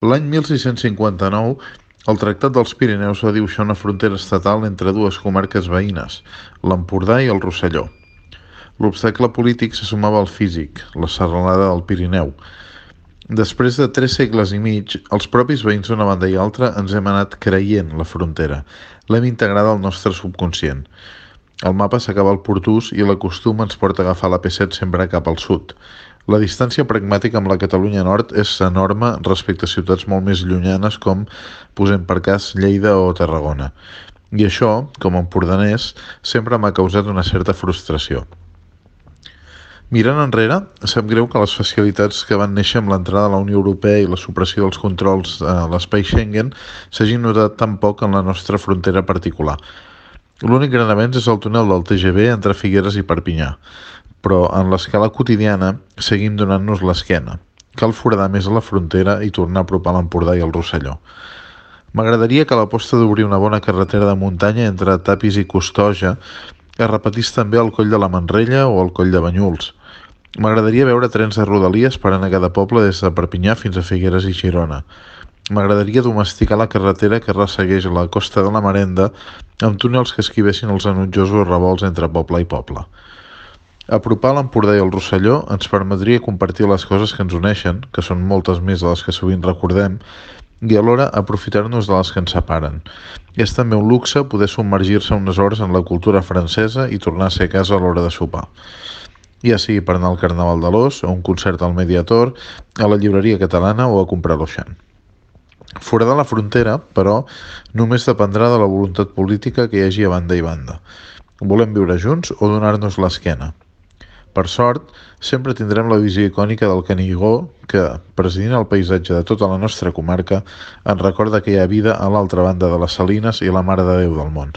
L'any 1659, el Tractat dels Pirineus va dibuixar una frontera estatal entre dues comarques veïnes, l'Empordà i el Rosselló. L'obstacle polític se sumava al físic, la serralada del Pirineu. Després de 3 segles i mig, els propis veïns d'una banda i altra ens hem anat creient la frontera. L'hem integrada al nostre subconscient. El mapa s'acaba al Portús i la costum ens porta a agafar la P7 sempre cap al sud. La distància pragmàtica amb la Catalunya Nord és enorme respecte a ciutats molt més llunyanes com, posem per cas, Lleida o Tarragona. I això, com a empordanès, sempre m'ha causat una certa frustració. Mirant enrere, sap greu que les facilitats que van néixer amb l'entrada a la Unió Europea i la supressió dels controls a l'espai Schengen s'hagin notat tan poc en la nostra frontera particular. L'únic gran avenç és el túnel del TGV entre Figueres i Perpinyà, però en l'escala quotidiana seguim donant-nos l'esquena. Cal foradar més a la frontera i tornar a apropar l'Empordà i el Rosselló. M'agradaria que l'aposta d'obrir una bona carretera de muntanya entre Tapis i Costoja es repetís també al Coll de la Manrella o al Coll de Banyuls. M'agradaria veure trens de rodalies per anar a cada poble des de Perpinyà fins a Figueres i Girona. M'agradaria domesticar la carretera que ressegueix la costa de la Marenda amb túnels que esquivessin els enutjosos revolts entre poble i poble. Apropar l'Empordà i el Rosselló ens permetria compartir les coses que ens uneixen, que són moltes més de les que sovint recordem, i alhora aprofitar-nos de les que ens separen. És també un luxe poder submergir-se unes hores en la cultura francesa i tornar a ser a casa a l'hora de sopar. Ja sigui per anar al Carnaval de l'Os, a un concert al Mediator, a la llibreria catalana o a comprar l'Oixan. Foradar la frontera, però, només dependrà de la voluntat política que hi hagi a banda i banda. Volem viure junts o donar-nos l'esquena? Per sort, sempre tindrem la visió icònica del Canigó que, presidint el paisatge de tota la nostra comarca, ens recorda que hi ha vida a l'altra banda de les Salines i la Mare de Déu del món.